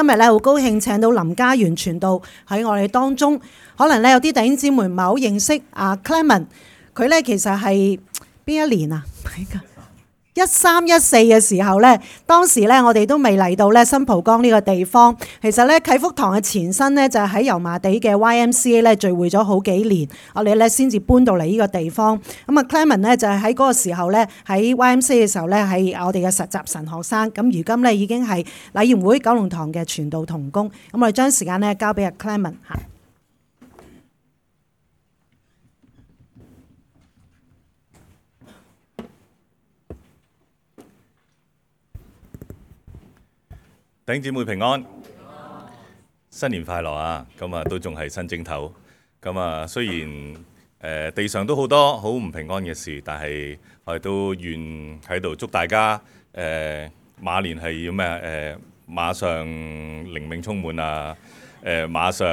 今日咧好高興請到林嘉源傳道喺我哋當中。可能咧有啲弟兄姊妹唔係好認識阿 Clement， 佢咧其實係邊一年啊？13、14嘅時候咧，當時咧我哋都未嚟到咧新蒲崗呢個地方。其實咧啟福堂嘅前身咧就係喺油麻地嘅 YMCA 咧聚會咗好幾年，我哋咧先至搬到嚟呢個地方。咁啊 Clement 咧就係喺嗰個時候咧喺 YMCA 嘅時候咧係我哋嘅實習神學生。咁如今咧已經係禮賢會九龍堂嘅傳道同工。咁我哋將時間咧交俾阿 Clement 嚇。弟兄姊妹平安，新年快樂啊！咁啊都仲係新正頭，咁啊雖然地上都好多好唔平安嘅事，但係我哋都願喺度祝大家馬年係要咩馬上靈命充滿啊，馬上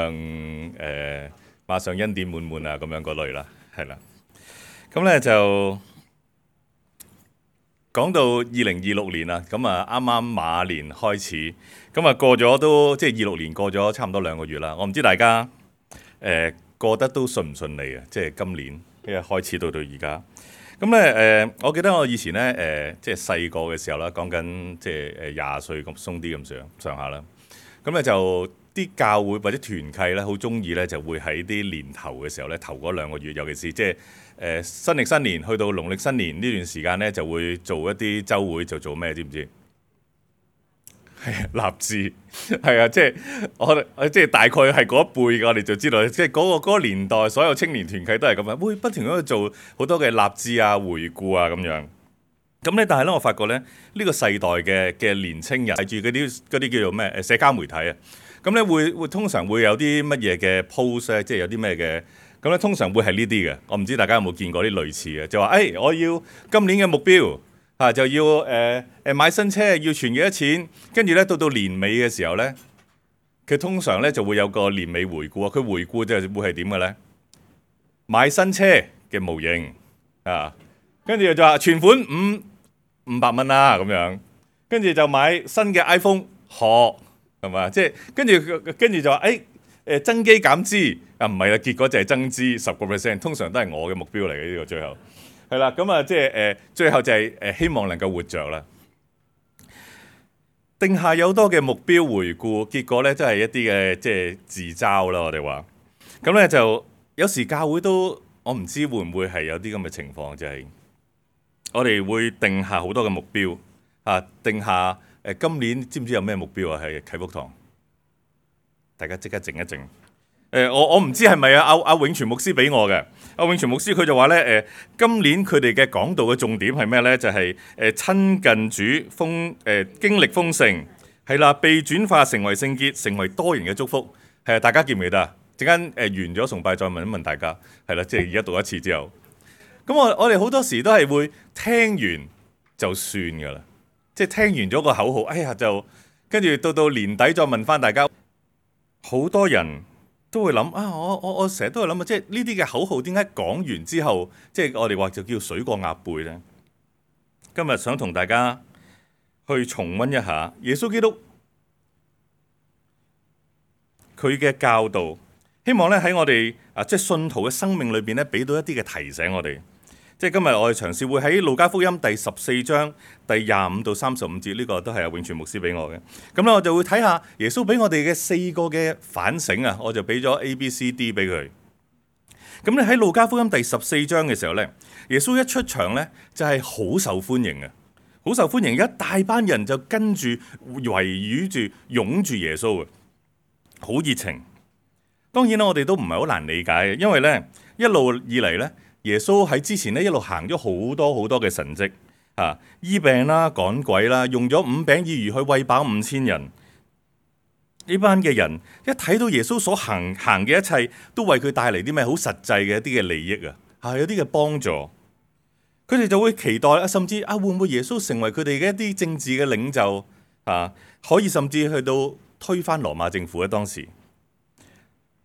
恩典滿滿啊，咁樣嗰類啦，係啦。咁咧就講到2026年啦，咁啊啱啱馬年開始，咁啊過咗都即係26年過咗差唔多2個月啦。我唔知大家過得都順唔順利啊？即係今年一開始到而家。咁咧我記得我以前咧即係細個嘅時候啦，講緊即係20歲咁鬆啲咁上下啦。咁咧就啲教會或者團契咧，好中意咧就會喺啲年頭嘅時候咧，頭嗰2個月，尤其是即係新歷新年去到農曆新年呢段時間咧，就會做一啲週會，就做咩知唔知？係立志，係啊，即係我即係大概係嗰一輩嘅，我哋就知道，即係嗰個年代所有青年團契都係咁樣，會不斷咁去做好多嘅立志啊、回顧啊咁樣。咁咧，但係咧，我發覺咧，呢個世代嘅年青人睇住嗰啲叫做咩社交媒體啊，咁咧會通常會有啲乜嘢嘅 post 咧，即係有啲咩嘅，咁咧通常會係呢啲嘅。我唔知大家有冇見過啲類似嘅，就話我要今年嘅目標就要買新車，要存幾多錢，跟住咧到年尾嘅時候咧，佢通常咧就會有個年尾回顧啊。佢回顧就會係點嘅咧？買新車嘅模型啊，跟住就話存款500蚊啦咁樣，跟住就買新嘅 iPhone 係嘛？即係跟住就話增肌減脂啊，唔係啦，結果就係增脂10%，通常都係我嘅目標嚟嘅呢個最後。係啦，咁啊，即係最後就係希望能夠活着啦。定下有多嘅目標回顧，結果咧都係一啲嘅即係自嘲啦。我哋話咁咧就有時教會都我唔知會唔會係有啲咁嘅情況，就係我哋會定下好多嘅目標定下今年知唔知有咩目標啊？係啟福堂，大家即刻靜一靜。我唔知係咪阿永全牧師俾我嘅。阿永全牧師佢就話咧今年佢哋嘅講道嘅重點係咩咧？就係親近主經歷豐盛，係啦，被轉化成為聖潔，成為多人嘅祝福。係啊，大家記唔記得啊？陣間完咗崇拜再問一問大家。係啦，即係而家讀一次之後，咁我哋好多時都係會聽完就算㗎啦，即係聽完咗個口號，就跟住到年底再問翻大家，好多人都會諗我成日都會諗即係呢啲嘅口號點解講完之後，即係我哋話就叫水過鴨背呢？今日想同大家去重溫一下耶穌基督佢嘅教導，希望咧喺我哋即係信徒嘅生命裏邊咧，俾到一啲嘅提醒我哋。即係今日我哋嘗試會喺路加福音第14章第25到35節，呢個都係阿永全牧師俾我嘅。咁咧我就會睇下耶穌俾我哋嘅4個嘅反省啊，我就俾咗 A、B、C、D 俾佢。咁咧喺路加福音第14章嘅時候咧，耶穌一出場咧就係好受歡迎嘅，好受歡迎，一大班人就跟住圍繞住擁住耶穌嘅，好熱情。當然啦，我哋都唔係好難理解嘅，因為咧一路以嚟咧。耶穌喺之前咧一路行咗好多嘅神蹟醫病啦、趕鬼啦，用咗5餅2魚去餵飽5000人。呢班嘅人一睇到耶穌所行嘅一切，都為佢帶嚟啲咩好實際嘅一啲嘅利益有啲嘅幫助。佢哋就會期待甚至會唔會耶穌成為佢哋嘅一啲政治嘅領袖可以甚至去到推翻羅馬政府咧當時。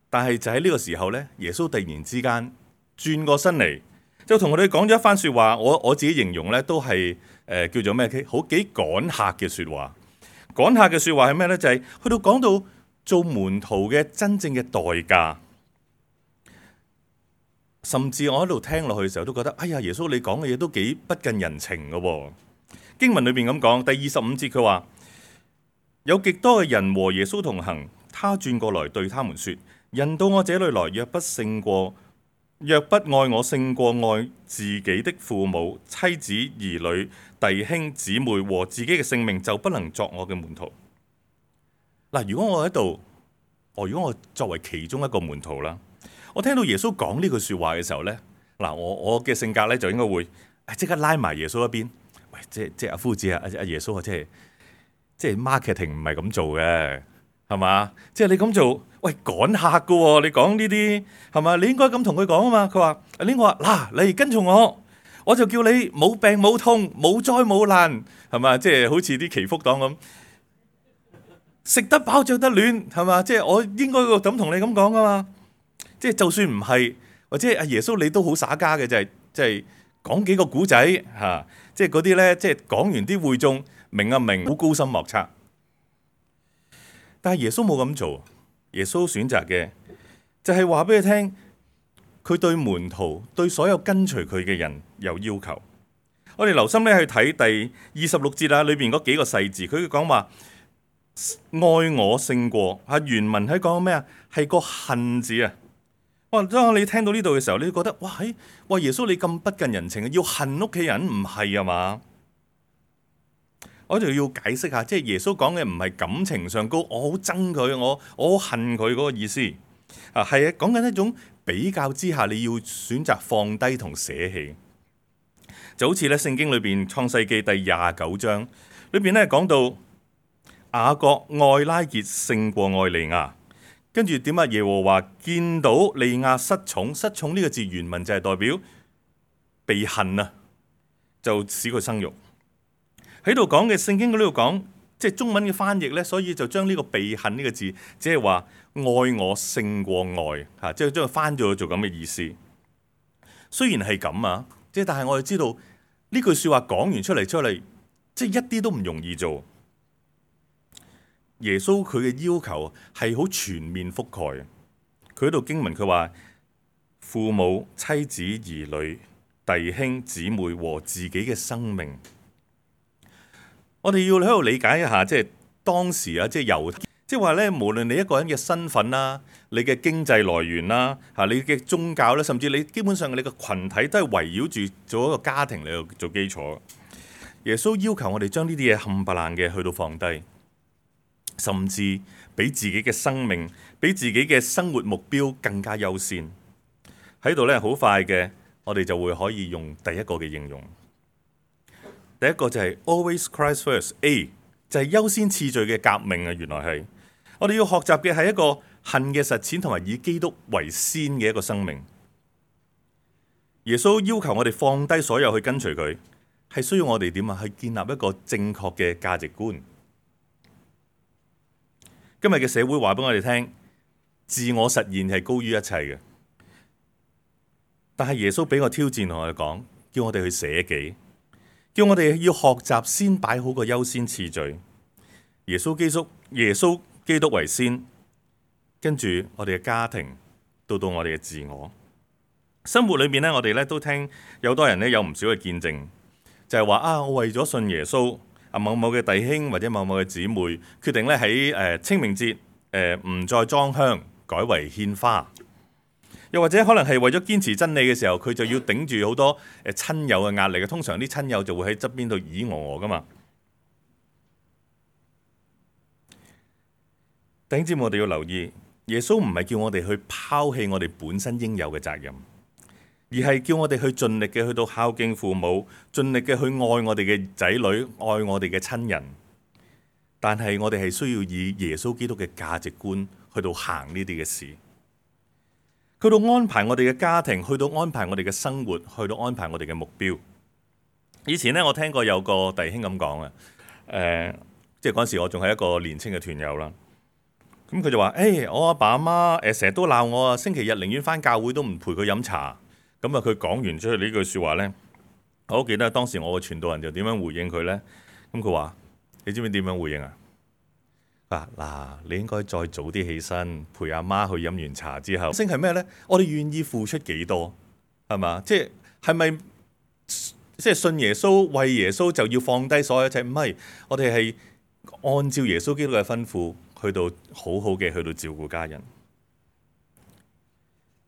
但係就喺呢個時候咧，耶穌突然之間轉過身嚟，就同我哋講咗一番說話。我自己形容咧，都係叫做咩？好幾趕客嘅說話。趕客嘅説話係咩呢？就係去到講到做門徒嘅真正嘅代價。甚至我喺度聽落去嘅時候都覺得，哎呀，耶穌你講嘅嘢都幾不近人情嘅喎。經文裏邊咁講，第25節佢話：有極多嘅人和耶穌同行，他轉過來對他們說：人到我這裏來，若不愛我勝過愛自己的父母、妻子、兒女、弟兄、姊妹和自己嘅性命，就不能作我嘅門徒。嗱，如果我喺度，如果我作為其中一個門徒啦，我聽到耶穌講呢句説話嘅時候呢，嗱，我嘅性格呢，就應該會即刻拉埋耶穌一邊。喂，即係阿夫子啊，阿耶穌啊，即係 marketing 唔係咁做嘅，係嘛？即係你咁做，喂，趕客㗎喎，你講呢啲係嘛？你應該咁同佢講啊嘛。佢話：我話嗱，你跟從我就叫你冇病冇痛冇災冇難，係嘛？即係好似啲祈福黨咁，食得飽着得暖，係嘛？即係我應該咁同你咁講啊嘛。即係就算唔係，或者阿耶穌你都好耍家嘅，就係講幾個古仔嚇，即係嗰啲咧，即係講完啲會眾明啊明，好高深莫測。但係耶穌冇咁做，耶穌選擇嘅就係話俾你聽，佢對門徒對所有跟隨佢嘅人有要求。我哋留心咧去睇第26節啊，裏邊嗰幾個細字，佢講話愛我勝過啊，原文喺講咩啊？係個恨字啊！當你聽到呢度嘅時候，你覺得哇耶穌你咁不近人情啊，要恨屋企人唔係啊嘛？我就要解釋下，即係耶穌講嘅唔係感情上高，我好憎佢，我好恨佢嗰個意思啊，係講緊一種比較之下，你要選擇放低同捨棄，就好似咧聖經裏邊創世記第29章裏邊咧講到雅各愛拉結勝過愛利亞。跟住點啊？耶和華見到利亞失寵呢個字原文就係代表被恨啊，就使佢生育。喺度講嘅聖經嗰度講，即係中文嘅翻譯呢，所以就將呢個被恨呢個字，即係話愛我勝過愛嚇，即係將佢翻咗做咁嘅意思。雖然係咁啊，即係但係我哋知道呢句説話講完出嚟，即係一啲都唔容易做。耶穌佢嘅要求係好全面覆蓋。佢喺度經文佢話父母、妻子、兒女、弟兄、姊妹和自己嘅生命。我哋要喺度理解一下，即係當時啊，即係猶太，即係話咧，無論你一個人嘅身份啦、你嘅經濟來源啦、嚇你嘅宗教咧，甚至你基本上你嘅群體都係圍繞住做一個家庭嚟做基礎。耶穌要求我哋將呢啲嘢冚唪唥嘅去到放低。甚至比自己嘅生命、比自己嘅生活目標更加優先。喺度咧，好快嘅，我哋就會可以用第一個嘅應用。第一個就係 Always Christ First。A 就係優先次序嘅革命啊！原來係我哋要學習嘅係一個恨嘅實踐，同埋以基督為先嘅一個生命。耶穌要求我哋放低所有去跟隨佢，係需要我哋點啊？去建立一個正確嘅價值觀。今日嘅社會話俾我哋聽，自我實現係高於一切嘅。但係耶穌俾個挑戰同我哋講，叫我哋去捨己，叫我哋要學習先擺好個優先次序。耶穌基督為先，跟住我哋嘅家庭，到我哋嘅自我生活裏面咧，我哋咧都聽有多人咧有唔少嘅見證，就係話啊，我為咗信耶穌。某某嘅弟兄或者某某嘅姊妹決定咧喺清明節唔再裝香，改為獻花。又或者可能係為咗堅持真理嘅時候，佢就要頂住好多親友嘅壓力嘅。通常啲親友就會喺側邊度咦我噶嘛。弟兄姊妹，我哋要留意，耶穌唔係叫我哋去拋棄我哋本身應有嘅責任，而係叫我哋去盡力嘅去到孝敬父母，盡力嘅去愛我哋嘅仔女，愛我哋嘅親人。但係我哋係需要以耶穌基督嘅價值觀去到行呢啲嘅事，去到安排我哋嘅家庭，去到安排我哋嘅生活，去到安排我哋嘅目標。以前咧，我聽過有個弟兄咁講啊，即係嗰陣時我仲係一個年青嘅團友啦。咁佢就話：我阿爸阿媽成日都鬧我啊，星期日寧願返教會都唔陪佢飲茶。咁啊，佢講完出去呢句説話呢，我好記得當時我嘅傳道人就點樣回應佢呢？咁佢話：你知唔知點樣回應啊？嗱，你應該再早啲起身，陪阿媽去飲完茶之後。升係咩呢？我哋願意付出幾多，係嘛？係咪信耶穌、為耶穌就要放低所有一切？唔係，我哋係按照耶穌基督嘅吩咐，去到好好嘅去到照顧家人。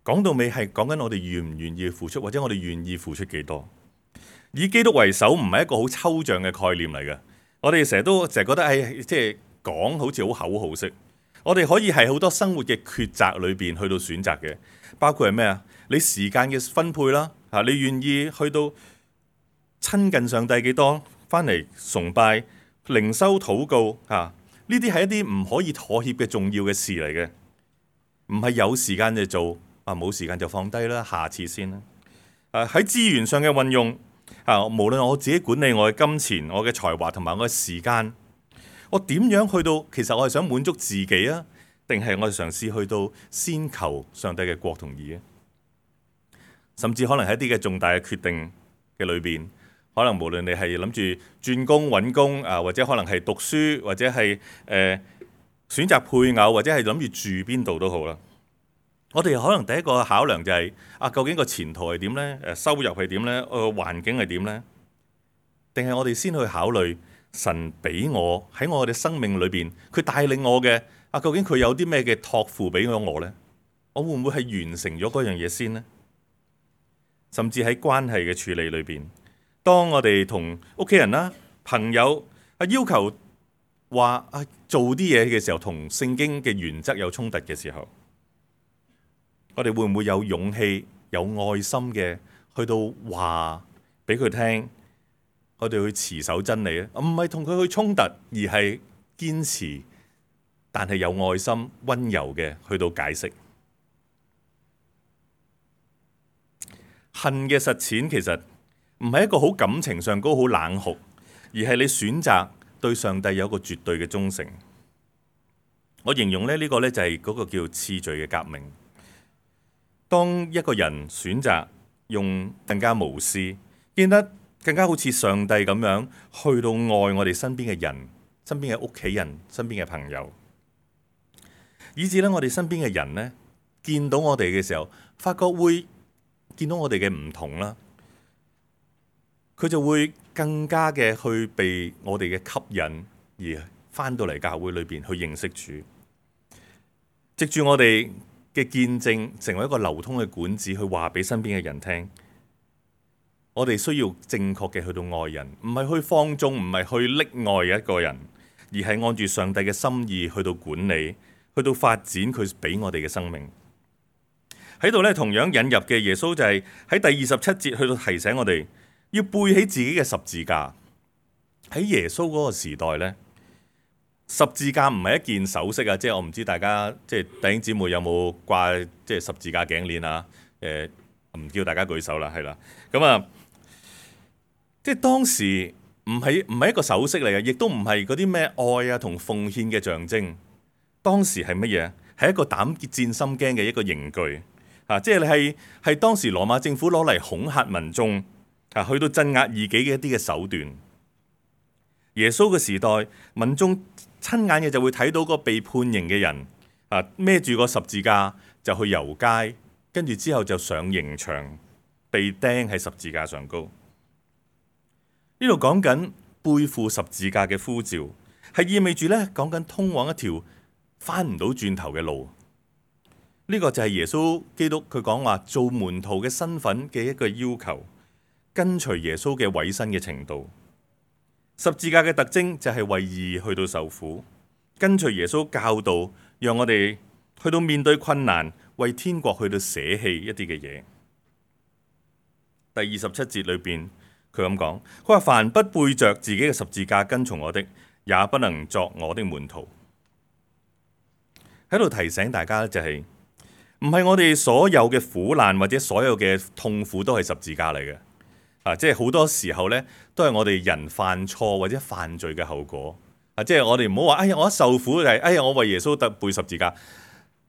講到尾係講緊我哋願唔願意付出，或者我哋願意付出幾多？以基督為首唔係一個好抽象嘅概念嚟嘅。我哋成日覺得講好似好口號式，我哋可以係好多生活嘅抉擇裏邊去到選擇嘅，包括係咩啊？你時間嘅分配啦，你願意去到親近上帝幾多，翻嚟崇拜、靈修、禱告呢啲係一啲唔可以妥協嘅重要嘅事嚟嘅，唔係有時間就做，冇時間就放低啦，下次先啦。喺資源上嘅運用無論我自己管理我嘅金錢、我嘅才華同埋我嘅時間。我點樣去到？其實我係想滿足自己啊，定係我係嘗試去到先求上帝嘅國同義啊？甚至可能喺一啲嘅重大嘅決定嘅裏邊，可能無論你係諗住轉工揾工或者可能係讀書，或者係選擇配偶，或者係諗住住邊度都好啦。我哋可能第一個考量就係究竟個前途係點呢？收入係點呢？環境係點呢？定係我哋先去考慮？神俾我喺我哋生命裏邊，佢帶領我嘅究竟佢有啲咩嘅託付俾咗我呢？我會唔會係完成咗嗰樣嘢先呢？甚至喺關係嘅處理裏邊，當我哋同屋企人啦、朋友要求話做啲嘢嘅時候，同聖經嘅原則有衝突嘅時候，我哋會唔會有勇氣、有愛心嘅去到話俾佢聽？我哋去持守真理咧，唔係同佢去衝突，而係堅持，但係有愛心、溫柔嘅去到解釋。恨嘅實踐其實唔係一個好感情上高、好冷酷，而係你選擇對上帝有一個絕對嘅忠誠。我形容呢個就係嗰個叫次序嘅革命。當一個人選擇用更加無私，見得更加好似上帝咁樣去到愛我哋身邊嘅人、身邊嘅屋企人、身邊嘅朋友，以至咧我哋身邊嘅人呢，見到我哋嘅時候，發覺會見到我哋嘅唔同啦，佢就會更加嘅去被我哋嘅吸引，而翻到嚟教會裏邊去認識主，藉住我哋嘅見證，成為一個流通嘅管子，去話俾身邊嘅人聽。我哋需要正確嘅去到愛人，唔係去放縱，唔係去溺愛一個人，而係按住上帝嘅心意去到管理，去到發展佢俾我哋嘅生命。喺度咧，同樣引入嘅耶穌就係喺第27節去到提醒我哋要背起自己嘅十字架。喺耶穌嗰個時代咧，十字架唔係一件首飾啊，即係我唔知大家即係弟兄姊妹有冇掛即係十字架頸鏈啊？唔叫大家舉手啦，係啦，咁即係當時唔係一個首飾嚟嘅，亦都唔係嗰啲咩愛啊同奉獻嘅象徵。當時係乜嘢？係一個膽戰心驚嘅一個刑具即係係當時羅馬政府攞嚟恐嚇民眾去到鎮壓異己嘅一啲嘅手段。耶穌嘅時代，民眾親眼嘅就會睇到個被判刑嘅人孭住個十字架就去遊街，跟住之後就上刑場，被釘喺十字架上高。呢度講緊背負十字架嘅呼召，係意味住咧講緊通往一條翻唔到轉頭嘅路。呢個就係耶穌基督佢講話做門徒嘅身份嘅一個要求，跟隨耶穌嘅委身嘅程度。十字架嘅特徵就係為義去到受苦，跟隨耶穌教導，讓我哋去到面對困難，為天國去到捨棄一啲嘅嘢。第27節裏邊。佢咁講，佢話凡不背着自己嘅十字架跟從我的，也不能作我的門徒。喺度提醒大家就係，唔係我哋所有嘅苦難或者所有嘅痛苦都係十字架嚟嘅。即係好多時候呢，都係我哋人犯錯或者犯罪嘅後果。即係我哋唔好話，哎呀，我一受苦就係，哎呀，我為耶穌得背十字架。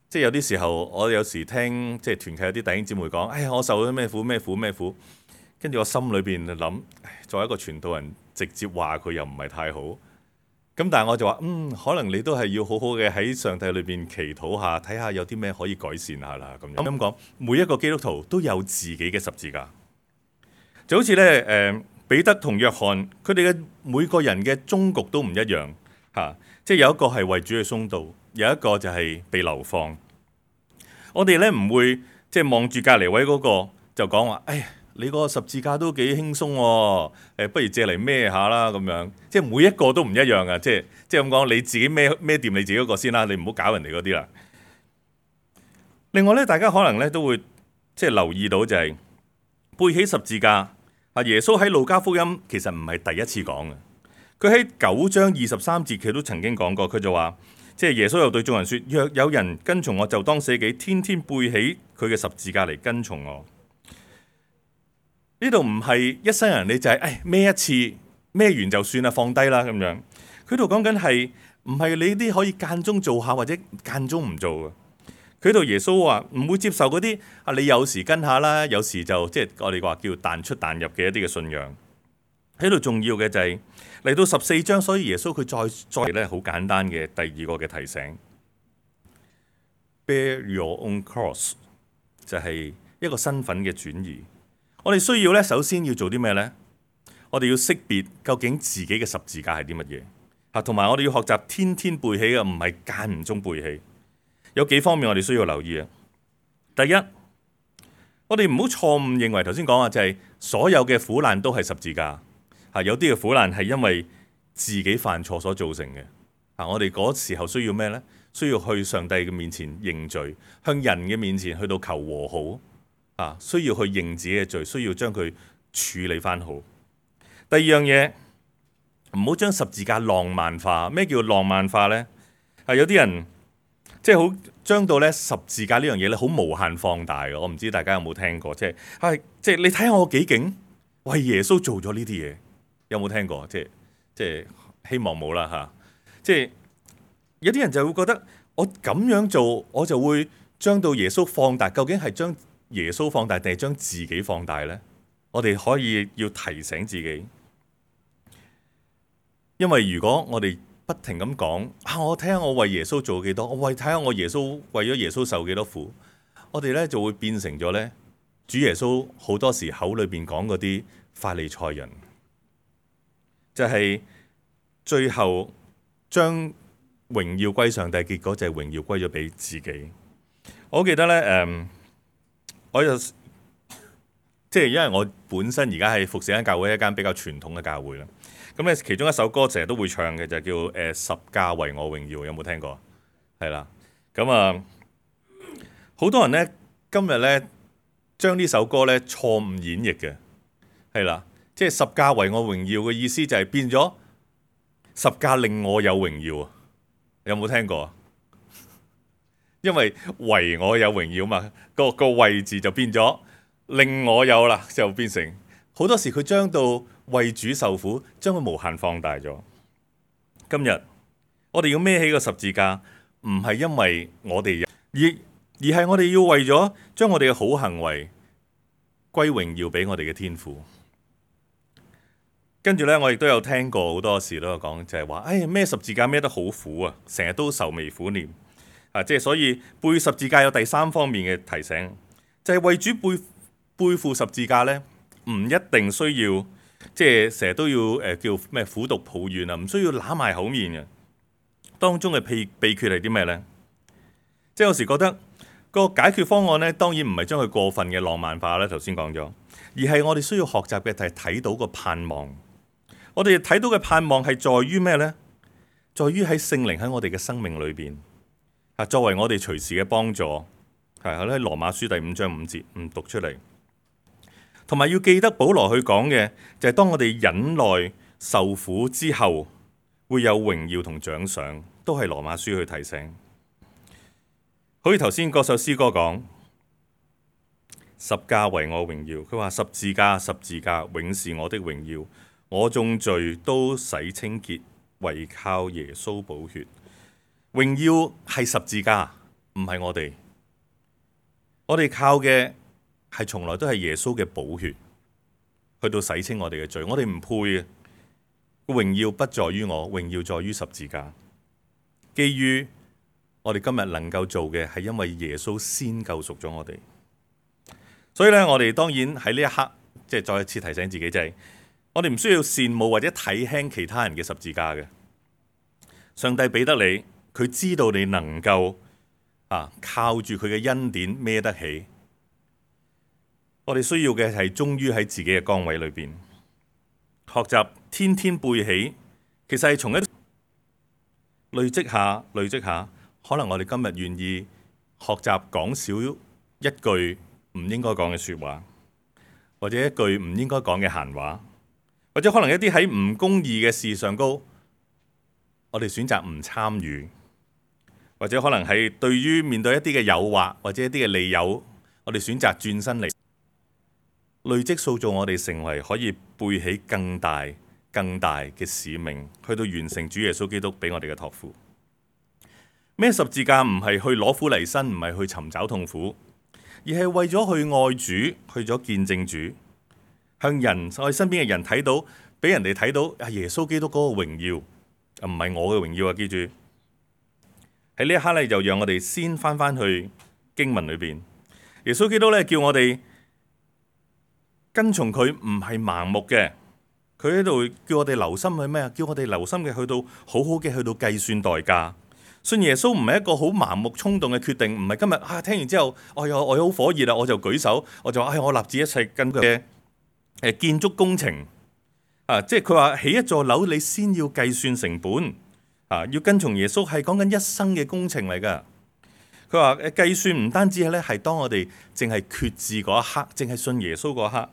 即係有啲時候，我有時聽即係團契有啲弟兄姊妹講，哎呀，我受咗咩苦咩苦咩苦。跟住我心裏邊就諗，作為一個傳道人，直接話佢又唔係太好，咁但係我就話，可能你都係要好好嘅喺上帝裏邊祈禱下，睇下有啲咩可以改善下啦。咁講，每一個基督徒都有自己嘅十字架，就好似咧彼得同約翰，佢哋嘅每個人嘅終局都唔一樣嚇，即係有一個係為主去殉道，有一個就係被流放。我哋咧唔會即係望住隔離位嗰個就講話，你個十字架都幾輕鬆喎，不如借嚟孭下啦咁樣。即係每一個都唔一樣嘅，即係咁講，你自己孭掂你自己嗰個先啦，你唔好搞人哋嗰啲啦。另外咧，大家可能咧都會即係留意到就係背起十字架。耶穌喺路加福音其實唔係第一次講嘅，佢喺9章23節佢都曾經講過，佢就話，即係耶穌又對眾人說：若有人跟從我，就當捨己，天天背起佢嘅十字架嚟跟從我。呢度唔係一生人你就係孭一次，孭完就算啦，放低啦咁樣。佢度講緊係唔係你啲可以間中做下或者間中唔做嘅。佢度耶穌話唔會接受嗰啲你有時跟下啦，有時就即係我哋話叫彈出彈入嘅一啲嘅信仰。喺度重要嘅就係嚟到14章，所以耶穌佢再咧好簡單嘅第二個嘅提醒 ，Bear your own cross 就係一個身份嘅轉移。我哋需要咧，首先要做啲咩呢？我哋要識別究竟自己嘅十字架係啲乜嘢嚇，同埋我哋要學習天天背起嘅，唔係間唔中背起。有幾方面我哋需要留意啊。第一，我哋唔好錯誤認為頭先講啊，就係所有嘅苦難都係十字架嚇，有啲嘅苦難係因為自己犯錯所造成嘅嚇。我哋嗰時候需要咩呢？需要去上帝嘅面前認罪，向人嘅面前去到求和好。需要去認自己嘅罪，需要將佢處理翻好。第二樣嘢，唔好將十字架浪漫化。咩叫浪漫化呢？有啲人即係好將到咧十字架呢樣嘢咧，好無限放大嘅。我唔知大家有冇聽過，即係你睇下我幾勁，為耶穌做咗呢啲嘢，有冇聽過？即係希望冇啦嚇。即係有啲人就會覺得我咁樣做，我就會將到耶穌放大。究竟係將耶穌放大定係將自己放大呢？我哋可以要提醒自己，因為如果我哋不停咁講我睇下我為耶穌做幾多，我睇下我耶穌為咗耶穌受幾多苦，我哋咧就會變成咗咧主耶穌好多時口裏邊講嗰啲法利賽人，就係最後將榮耀歸上帝，結果就係榮耀歸咗俾自己。我記得咧我就即係因為我本身而家係服侍緊教會，一間比較傳統嘅教會啦。咁咧其中一首歌成日都會唱嘅就叫十架為我榮耀，有冇聽過？係啦，咁好多人咧今日咧將呢首歌咧錯誤演繹嘅，係啦，即係十架為我榮耀嘅意思就係變咗十架令我有榮耀，有冇聽過？因為為我有榮耀嘛，個位置就變咗令我有啦，就變成好多時佢將到為主受苦，將佢無限放大咗。今日我哋要孭起個十字架，唔係因為我哋而係我哋要為咗將我哋嘅好行為歸榮耀俾我哋嘅天父。跟住咧，我亦都有聽過好多時都有講，就係話，孭十字架孭得好苦啊，成日都愁眉苦臉。即係所以背十字架有第三方面嘅提醒，就係為主背負十字架咧，唔一定需要即係成日都要叫咩苦毒抱怨啊，唔需要揦埋口面嘅。當中嘅秘訣係啲咩咧？即係有時覺得個解決方案咧，當然唔係將佢過分嘅浪漫化啦。頭先講咗，而係我哋需要學習嘅就係睇到個盼望。我哋睇到嘅盼望係在於咩咧？在於喺聖靈喺我哋嘅生命裏邊。作為我哋隨時嘅幫助，係喺羅馬書第5章5節唔讀出嚟，同埋要記得保羅去講嘅就係當我哋忍耐受苦之後，會有榮耀同獎賞，都係羅馬書去提醒。好似頭先嗰首詩歌講，十架為我榮耀，佢話十字架十字架永是我的榮耀，我眾罪都洗清潔，唯靠耶穌寶血。榮耀係十字架，唔係我哋。我哋靠嘅係從來都係耶穌嘅寶血，去到洗清我哋嘅罪。我哋唔配嘅，榮耀不在於我，榮耀在於十字架。基於我哋今日能夠做嘅係因為耶穌先救贖咗我哋，所以咧我哋當然喺呢一刻即係再一次提醒自己，就係我哋唔需要羨慕或者睇輕其他人嘅十字架嘅。上帝俾得你，佢知道你能夠靠住佢嘅恩典孭得起。我哋需要嘅係忠於喺自己嘅崗位裏邊，學習天天背起，其實係從一累積下，可能我哋今日願意學習講少一句唔應該講嘅說話，或者一句唔應該講嘅閒話，或者可能一啲喺唔公義嘅事上高，我哋選擇唔參與，或者可能係對於面對一啲嘅誘惑或者一啲嘅利誘，我哋選擇轉身嚟，累積塑造我哋成為可以背起更大嘅使命，去到完成主耶穌基督俾我哋嘅託付。咩十字架唔係去攞苦嚟辛，唔係去尋找痛苦，而係為咗去愛主，去咗見證主，向人我哋身邊嘅人睇到，俾人哋睇到耶穌基督嗰個榮耀，唔係我嘅榮耀啊！記住喺呢一刻咧，就讓我哋先翻去經文裏邊，耶穌基督咧叫我哋跟從佢，唔係盲目嘅。佢喺度叫我哋留心去咩啊？叫我哋留心嘅去到好好嘅去到計算代價。信耶穌唔係一個好盲目衝動嘅決定，唔係今日聽完之後，我好火熱啦，我就舉手，我就話我立志一切跟佢嘅建築工程即係佢話起一座樓，你先要計算成本要跟從耶穌係講緊一生嘅工程嚟㗎。佢話計算唔單止係當我哋淨係決志嗰一刻，淨係信耶穌嗰一刻，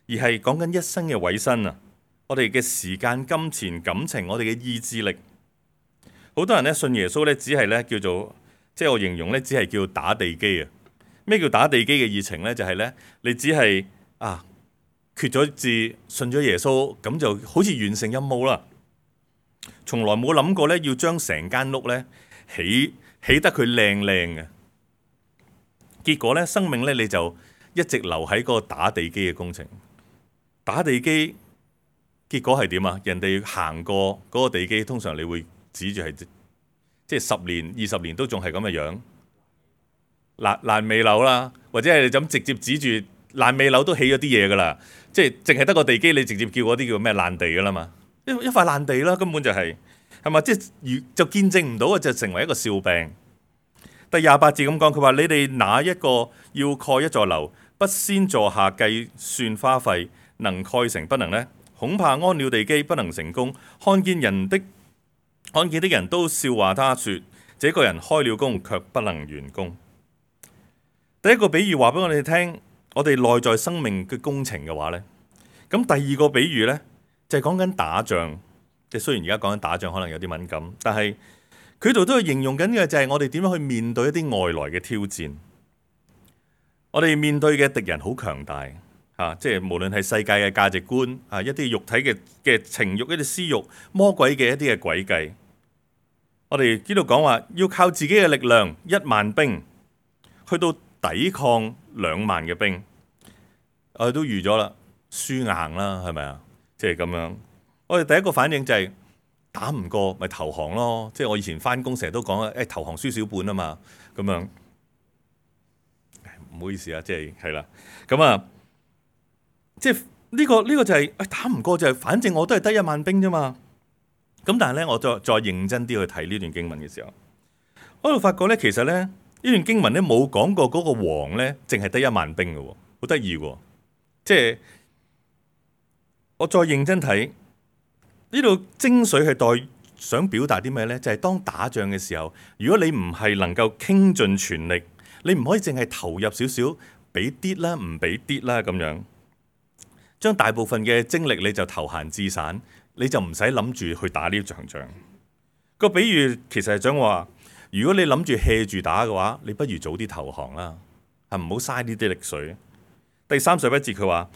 而係講緊一生嘅委身啊！我哋嘅時間、金錢、感情，我哋嘅意志力。好多人咧信耶穌咧，只係咧叫做，即係我形容咧，只係叫打地基啊！咩叫打地基嘅熱情咧？就係咧，你只係決咗志，信咗耶穌，咁就好似完成任務啦。從來冇諗過咧，要將成間屋咧起得佢靚嘅。結果咧，生命咧你就一直留喺個打地基嘅工程。打地基結果係點啊？人哋行過嗰個地基，通常你會指住係即係10年、20年都仲係咁嘅樣，爛尾樓啦，或者係你咁直接指住爛尾樓都起咗啲嘢噶啦，即係淨係得個地基，你直接叫嗰啲叫咩爛地噶啦嘛？一塊爛地啦，根本就係嘛？即係就見證唔到啊，就成為一個笑柄。第28節咁講，佢話：你哋哪一個要蓋一座樓，不先坐下計算花費，能蓋成不能呢？恐怕安了地基不能成功，看見的人都笑話他說：這個人開了工，卻不能完工。第一個比喻話俾我哋聽，我哋內在生命嘅工程嘅話呢，咁第二個比喻呢，就係講緊打仗。即係雖然而家講緊打仗可能有啲敏感，但係佢度都係形容緊嘅就係我哋點樣去面對一啲外來嘅挑戰。我哋面對嘅敵人好強大。即係無論係世界嘅價值觀，一啲肉體嘅情慾，一啲私慾，魔鬼嘅一啲嘅詭計。我哋呢度講話要靠自己嘅力量，1萬兵去到抵抗2萬嘅兵，我哋都預咗啦，輸硬啦，係咪啊？即係咁樣。我哋第一個反應就係打唔過咪投降咯。即係我以前返工成日都講投降輸少半啊嘛，咁樣。唔好意思啊，即係啦，咁啊。即係呢個就係打唔過就係，反正我都係得1萬兵啫嘛。咁但係咧，我再認真啲去睇呢段經文嘅時候，我就發覺咧，其實咧呢段經文咧冇講過嗰個王咧，淨係得1萬兵嘅，好得意喎。即係我再認真睇呢度精髓係想表達啲咩咧？就係當打仗嘅時候，如果你唔係能夠傾盡全力，你唔可以淨係投入少少，俾啲啦，唔俾啲啦咁樣。將大部分嘅精力你就投閒置散，你就唔使諗住去打呢場仗。個比喻其實係想話，如果你諗住 hea 住打嘅話，你不如早啲投降啦，係唔好嘥呢啲力水。第31節佢話：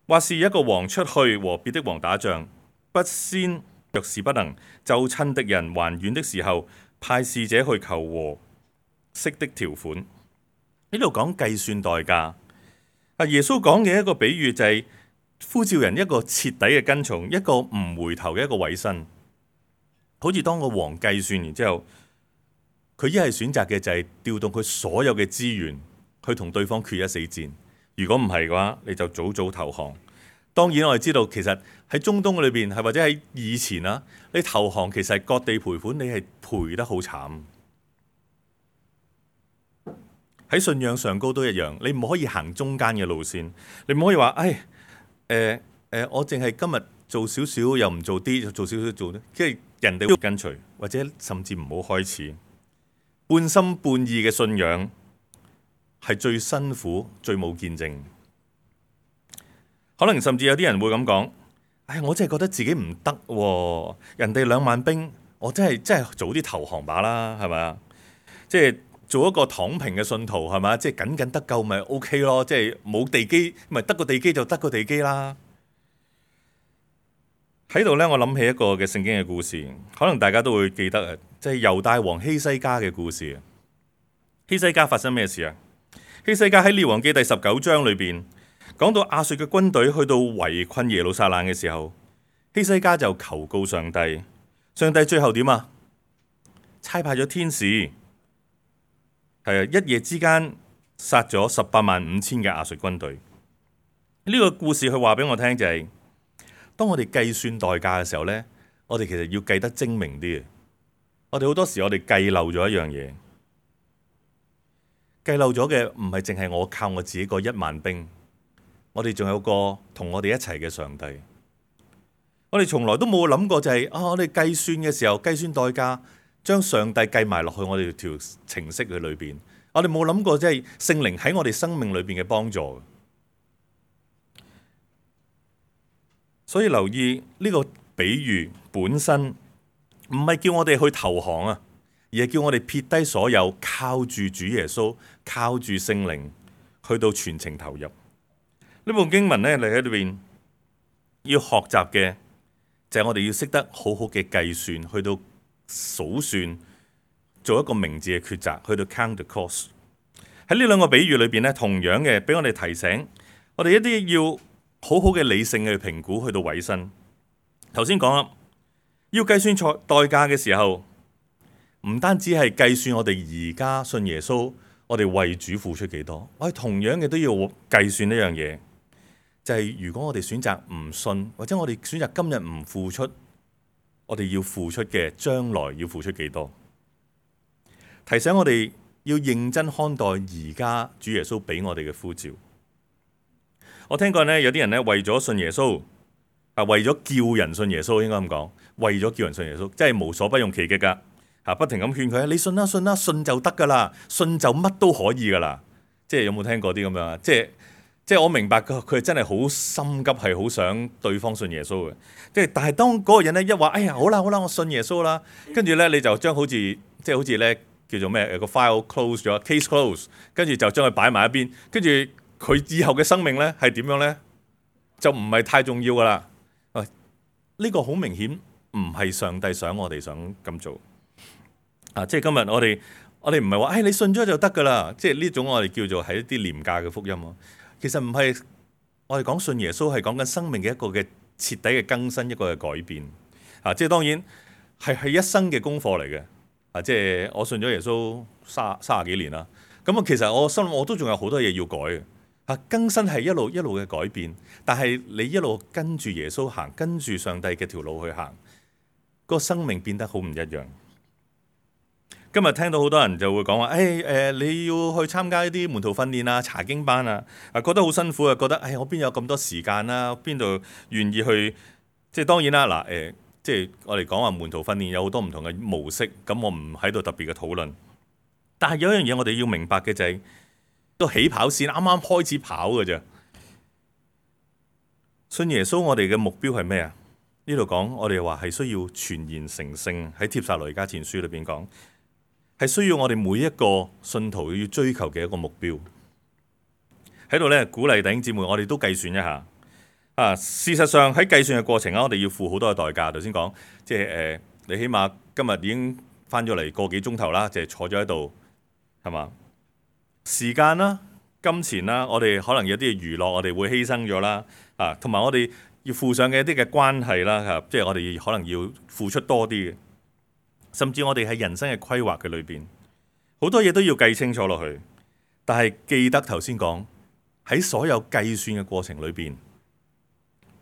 或是一個王出去和別的王打仗，不先若是不能，就趁敵人還遠的時候，派使者去求和息的條款。呢度講計算代價。耶穌講嘅一個比喻就係呼召人一個徹底嘅跟從，一個唔回頭嘅一個委身。好似當個王計算完之後，佢一係選擇嘅就係調動佢所有嘅資源去同對方決一死戰。如果唔係嘅話，你就早早投降。當然我哋知道，其實喺中東裏邊係或者喺以前啊，你投降其實係割地賠款，你係賠得好慘。喺信仰上高都一樣，你唔可以行中間嘅路線，你唔可以話，我淨係今日做少少，又唔做啲，做少少做啲，即係人哋會跟隨，或者甚至唔好開始。半心半意嘅信仰係最辛苦、最冇見證。可能甚至有啲人會咁講，我真係覺得自己唔得喎，人哋2萬兵，我真係早啲投降吧啦，係咪啊？即係做一個躺平嘅信徒係咪？即係僅得救咪 OK 咯，即係冇地基咪得個地基就得個地基啦。喺度呢，我諗起一個嘅聖經嘅故事，可能大家都會記得啊，即係猶大王希西家嘅故事。希西家發生咩事啊？希西家喺列王記第19章裏邊講到亞述嘅軍隊去到圍困耶路撒冷嘅時候，希西家就求告上帝，上帝最後點啊？差派咗天使，一夜之間殺咗185000嘅亞述軍隊。呢個故事佢話俾我聽就係，當我哋計算代價嘅時候呢，我哋其實要計得精明啲。我哋好多時我哋計漏咗一樣嘢，計漏咗嘅唔係淨係我靠我自己個1萬兵，我哋仲有個同我哋一齊嘅上帝。我哋從來都冇諗過就係我哋計算嘅時候計算代價，將上帝計埋落去我哋條程式嘅裏邊。我哋冇諗過即係聖靈喺我哋生命裏邊嘅幫助。所以留意呢個比喻本身唔係叫我哋去投降啊，而係叫我哋撇低所有，靠住主耶穌，靠住聖靈去到全程投入。呢部經文呢，你喺裏邊要學習嘅就係我哋要識得好好嘅計算，去到數算，做一個明智嘅抉擇，去到 count the cost。喺呢兩個比喻裏邊呢，同樣嘅俾我哋提醒，我哋一啲要好好嘅理性去評估，去到委身。頭先講啦，要計算代價嘅時候，唔單止係計算我哋而家信耶穌，我哋為主付出幾多，我哋同樣嘅都要計算一樣嘢，就係如果我哋選擇唔信，或者我哋選擇今日唔付出，我哋要付出嘅將來要付出幾多？提醒我哋要認真看待而家主耶穌俾我哋嘅呼召。我聽過呢，有啲人呢，為咗信耶穌，為咗叫人信耶穌，應該咁講，為咗叫人信耶穌，真係無所不用其極噶，不停咁勸佢，你信啦，信啦，信就得噶啦，信就乜都可以噶啦。即係有冇聽過啲咁樣啊？即係我明白佢真係好心急，係好想對方信耶穌嘅。但係當嗰個人呢，一話，哎呀好啦，我信耶穌啦，跟住呢，你就將好似呢叫做咩個 file close 咗 case close， 跟住就將佢擺埋一邊，跟住佢以後嘅生命呢係點樣呢？就唔係太重要噶啦。呢個好明顯唔係上帝想我哋想咁做。即係今日我哋唔係話，你信咗就得噶啦。即係呢種我哋叫做係一啲廉價嘅福音咯。其實唔係，我哋講信耶穌係講緊生命嘅一個嘅徹底嘅更新，一個嘅改變。即係當然係一生嘅功課嚟嘅。即係我信咗耶穌30幾年啦。咁其實我心諗我都仲有好多嘢要改嘅。更新係一路一路嘅改變，但係你一路跟住耶穌行，跟住上帝嘅條路去行，個生命變得好唔一樣。今日聽到好多人就會講話，你要去參加一啲門徒訓練啊、查經班啊，覺得好辛苦啊，覺得我邊有咁多時間啊，邊度願意去？即係當然啦，即係我哋講話門徒訓練有好多唔同嘅模式，咁我唔喺度特別嘅討論。但係有一樣嘢我哋要明白嘅就係，個起跑線啱啱開始跑嘅啫。信耶穌我哋嘅目標係咩啊？呢度講我哋話係需要全然成聖，喺帖撒羅尼迦前書裏邊講，係需要我哋每一個信徒要追求嘅一個目標。喺度呢，鼓勵弟兄姊妹，我哋都計算一下。事實上喺計算嘅過程我哋要付好多嘅代價。頭先講，即係你起碼今日已經翻咗嚟個幾鐘頭啦，就係坐咗喺度，係嘛？時間啦、金錢啦，我哋可能有啲娛樂，我哋會犧牲咗啦。嚇，同埋我哋要附上嘅一啲嘅關係啦嚇，即係我哋可能要付出多啲嘅，甚至我哋喺人生嘅規劃嘅裏邊，好多嘢都要計清楚落去。但係記得頭先講喺所有計算嘅過程裏邊，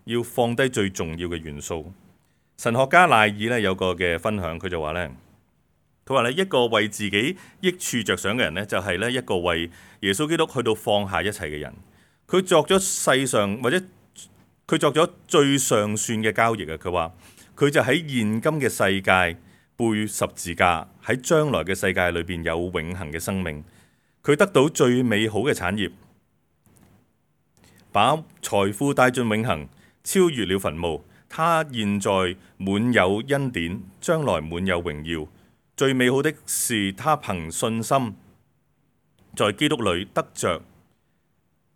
要放低最重要嘅元素。神學家賴爾咧有個嘅分享，佢就話咧，佢話咧一個為自己益處着想嘅人咧，就係咧一個為耶穌基督去到放下一切嘅人。佢作咗世上或者佢作咗最上算嘅交易啊！佢話佢就喺現今嘅世界背十字架，喺將來嘅世界裏邊有永恆嘅生命。佢得到最美好嘅產業，把財富帶進永恆，超越了墳墓。他現在滿有恩典，將來滿有榮耀。最美好的是他憑信心在基督裏得着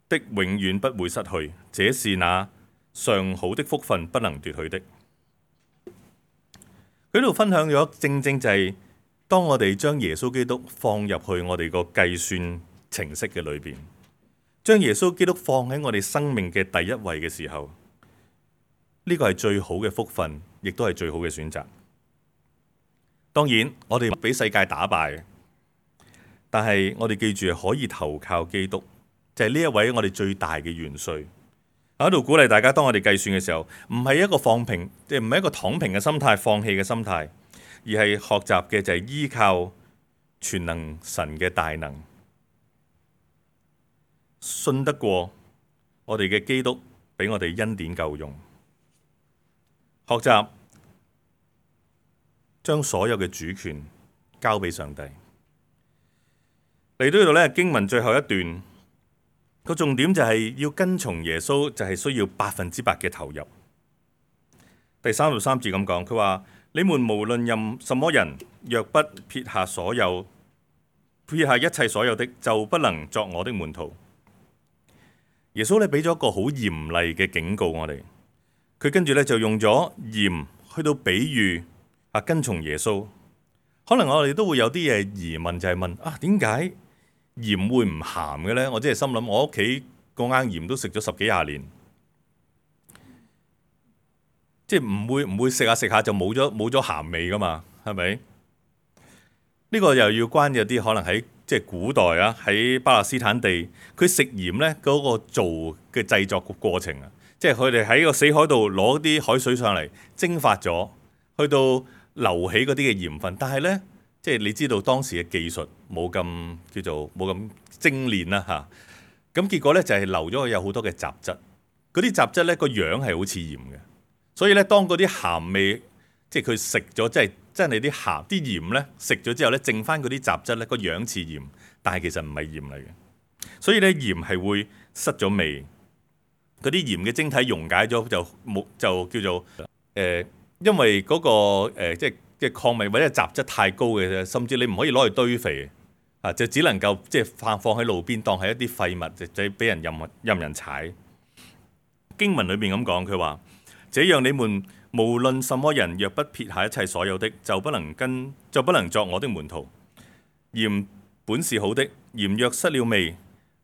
的，永遠不會失去。這是那上好的福分，不能奪去的。佢喺度分享咗，正正就係當我哋將耶穌基督放入去我哋個計算程式嘅裏邊，將耶穌基督放喺我哋生命嘅第一位嘅時候，呢個係最好嘅福分，亦都係最好嘅選擇。當然，我哋俾世界打敗，但係我哋記住可以投靠基督，就係呢一位我哋最大嘅元帥。喺度鼓勵大家，當我哋計算嘅時候，唔係一個放平，即係唔係一個躺平嘅心態、放棄嘅心態，而係學習嘅就係依靠全能神嘅大能，信得過我哋嘅基督俾我哋恩典夠用。學習將所有嘅主權交俾上帝。嚟到呢度咧，經文最後一段個重點就係要跟從耶穌，就係需要100%嘅投入。第33節咁講，佢話：你們無論任什麼人，若不撇下一切所有的，就不能作我的門徒。耶穌咧俾咗一個好嚴厲嘅警告我哋。佢跟住咧就用咗鹽去到比喻跟從耶穌。可能我哋都會有啲嘢疑問，就係問點解鹽會唔鹹嘅咧？我真係心諗，我屋企個罌鹽都食咗10幾20年，即係唔會食下食下就冇咗鹹味噶嘛？係咪？呢個又要關有啲可能喺即係古代喺巴勒斯坦地，佢食鹽咧嗰個做嘅製作個過程啊。即係佢哋喺個死海度攞啲海水上嚟蒸發咗，去到流起嗰啲嘅鹽分。但係呢，即係你知道當時嘅技術冇咁精煉啦嚇。咁結果呢，就係流咗有好多嘅雜質。嗰啲雜質呢個樣係好似鹽嘅，所以呢，當嗰啲鹹味即係佢食咗，即係真係啲鹽呢食咗之後呢，剩翻嗰啲雜質呢個樣似鹽，但係其實唔係鹽嚟嘅。所以呢，鹽係會失咗味。嗰啲鹽嘅晶體溶解咗就叫做因為嗰個即係礦物或者雜質太高嘅啫，甚至你唔可以攞去堆肥就只能夠即係放喺路邊當係一啲廢物，就俾人任人踩。經文裏面咁講，佢話：這樣你們無論什麼人，若不撇下一切所有的，就不能作我的門徒。鹽本是好的，鹽若失了味，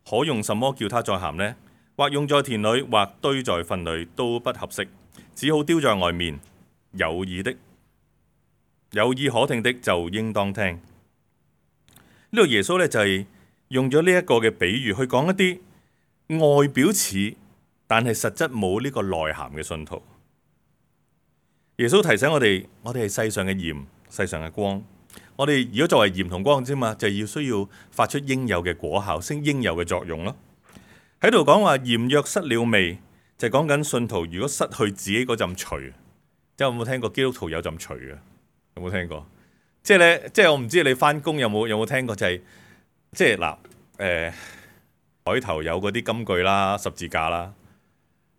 可用什麼叫它再鹹呢？或用在田裏，或堆在糞裏，都不合適，只好丟在外面。有耳可聽的就應當聽。呢度耶穌咧就係用咗呢一個嘅比喻去講一啲外表似，但係實質冇呢個內涵嘅信徒。耶穌提醒我哋係世上嘅鹽，世上嘅光。我哋如果作為鹽同光啫嘛，就要需要發出應有嘅果效，升應有嘅作用咯。喺度講話鹽若失了味，就係講緊信徒如果失去自己嗰陣除，即係有冇聽過基督徒有陣除嘅？有冇聽過？即係咧，即係我唔知你翻工有冇聽過，就係即係嗱，海頭有嗰啲金句啦、十字架啦，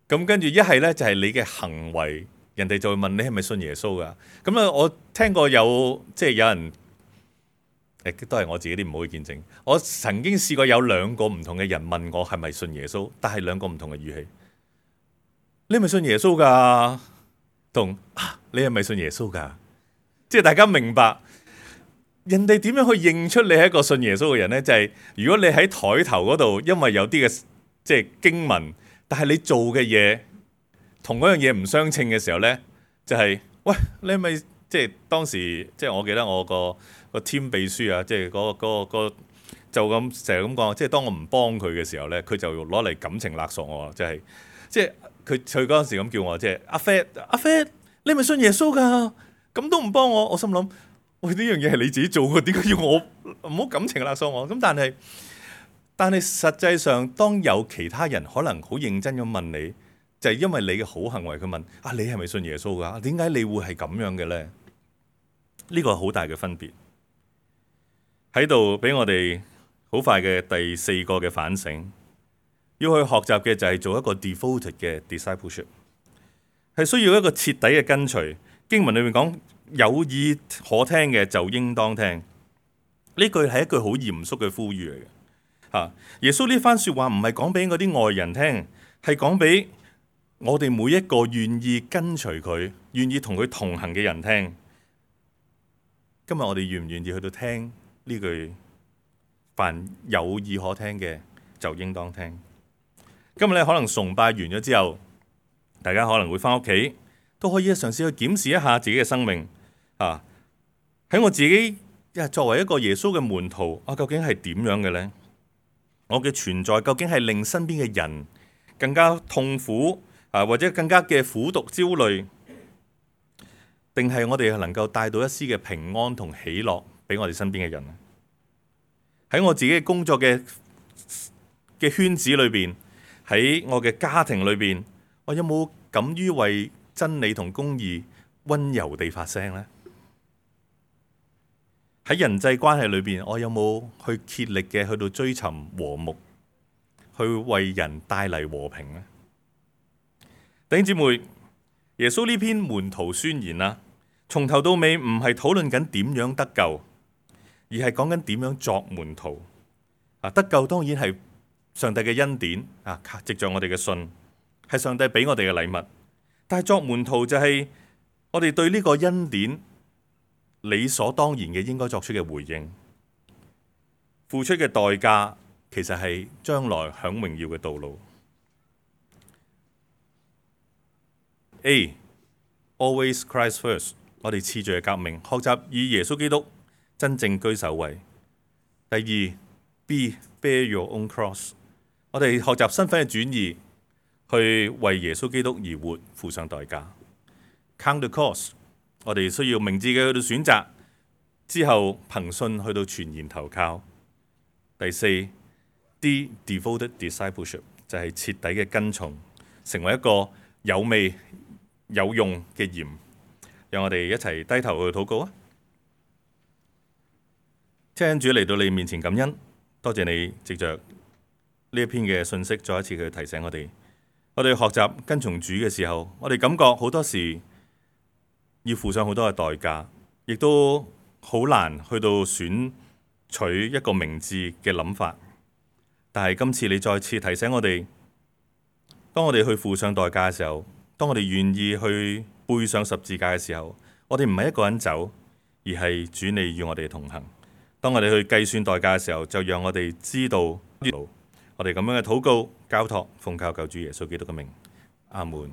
咁跟住一係咧就係你嘅行為，人哋就會問你係咪信耶穌噶？咁啊，我聽過有人。都係我自己啲唔好嘅見證。我曾經試過有2個唔同嘅人問我係咪信耶穌，但係2個唔同嘅語氣。你係咪信耶穌㗎？同你係咪信耶穌㗎？即係大家明白人哋點樣去認出你係一個信耶穌嘅人呢？就係如果你喺台頭嗰度，因為有啲嘅即係經文，但係你做嘅嘢同嗰樣嘢唔相稱嘅時候呢，就係、喂，你係咪即係當時即係我記得我個 team 秘書啊，即係個就咁成日咁講，即係當我唔幫佢嘅時候呢，佢就攞嚟感情勒索我，即係佢嗰陣時咁叫我，即係阿 Fat，你係咪信耶穌㗎？咁都唔幫我，我心諗喂，呢樣嘢係你自己做嘅，點解要我唔好感情勒索我？咁但係實際上，當有其他人可能好認真咁問你，就係因為你嘅好行為，佢問啊，你係咪信耶穌㗎？點解你會係咁樣嘅呢？呢個係好大嘅分別喺度，俾我哋好快嘅第四個嘅反省，要去學習嘅就係做一個 devoted 嘅 discipleship， 係需要一個徹底嘅跟隨。經文裏面講有耳可聽嘅就應當聽，呢句係一句好嚴肅嘅呼籲嚟嘅。耶穌呢番說話唔係講俾嗰啲外人聽，係講俾我哋每一個願意跟隨佢、願意同佢同行嘅人聽。今日我哋願唔願意去到聽呢句？凡有耳可聽嘅就應當聽。今日咧可能崇拜完咗之後，大家可能會翻屋企，都可以嘗試去檢視一下自己嘅生命。喺我自己作為一個耶穌嘅門徒，究竟係點樣嘅呢？我嘅存在究竟係令身邊嘅人更加痛苦或者更加嘅苦毒焦慮，定係我哋能夠帶到一絲嘅平安同喜樂俾我哋身邊嘅人？喺我自己嘅工作嘅圈子裏邊，喺我嘅家庭裏邊，我有冇敢於為真理同公義溫柔地發聲呢？喺人際關係裏邊，我有冇去竭力嘅去到追尋和睦，去為人帶嚟和平呢？弟兄姊妹，耶穌呢篇門徒宣言啦，從頭到尾唔係討論緊點樣得救，而係講緊點樣作門徒。得救當然係上帝嘅恩典藉着我哋嘅信，係上帝俾我哋嘅禮物。但係作門徒就係我哋對呢個恩典理所當然嘅應該作出嘅回應，付出嘅代價其實係將來享榮耀嘅道路。A，always Christ first， 我哋次序嘅革命，學習以耶穌基督真正居首位。第二 B，bear your own cross， 我哋學習身份嘅轉移，去為耶穌基督而活，付上代價。Count the cost， 我哋需要明智嘅去到選擇，之後憑信去到全然投靠。第四 D，devoted discipleship， 就係徹底嘅跟從，成為一個有味有用嘅鹽。讓我哋一齊低頭去禱告啊！親主嚟到你面前感恩，多謝你藉着呢一篇嘅信息，再一次去提醒我哋。我哋學習跟從主嘅時候，我哋感覺好多時要付上好多嘅代價，亦都好難去到選取一個明智嘅諗法。但係今次你再次提醒我哋，當我哋去付上代價嘅時候，當我哋願意去背上十字架嘅時候，我哋唔係一個人走，而係主你與我哋同行。當我哋去計算代價嘅時候，就讓我哋知道我哋咁樣嘅禱告交託，奉靠救主耶穌基督嘅名，阿門。